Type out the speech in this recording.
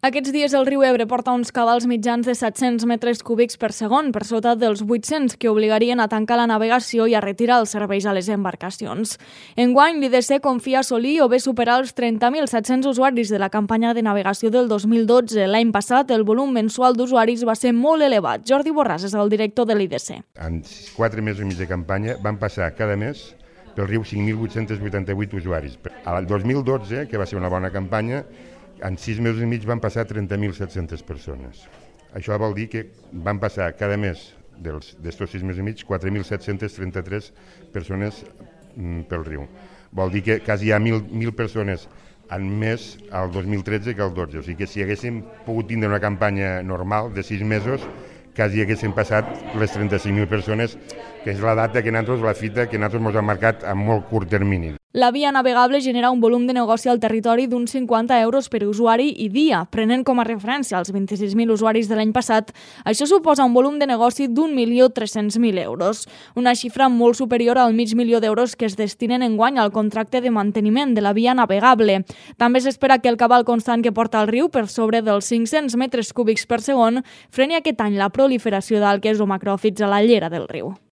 Aquests dies el riu Ebre porta uns cabals mitjans de 700 metres cúbics per segon, per sota dels 800, que obligarien a tancar la navegació i a retirar els serveis a les embarcacions. Enguany, l'IDC confia assolir o bé superar els 30.700 usuaris de la campanya de navegació del 2012. L'any passat, el volum mensual d'usuaris va ser molt elevat. Jordi Borràs és el director de l'IDC. En 4 mesos i mig de campanya van passar cada mes pel riu 5.888 usuaris. Al 2012, que va ser una bona campanya, en 6 mesos i mig van passar 30.700 persones. Això vol dir que van passar cada mes d'estos 6 mesos i mig 4.733 persones pel riu. Vol dir que quasi hi ha 1.000 persones en més al 2013 que al 12. O sigui que si haguéssim pogut tindre una campanya normal de 6 mesos, quasi haguéssim passat les 35.000 persones, que és la data que nosaltres, la fita que nosaltres ens hem marcat a molt curt termini. La via navegable genera un volum de negoci al territori d'uns 50 euros per usuari i dia. Prenent com a referència els 26.000 usuaris de l'any passat, això suposa un volum de negoci d'1.300.000 euros, una xifra molt superior al mig milió d'euros que es destinen enguany al contracte de manteniment de la via navegable. També s'espera que el cabal constant que porta el riu, per sobre dels 500 metres cúbics per segon, freni aquest any la proliferació d'algues o macròfits a la llera del riu.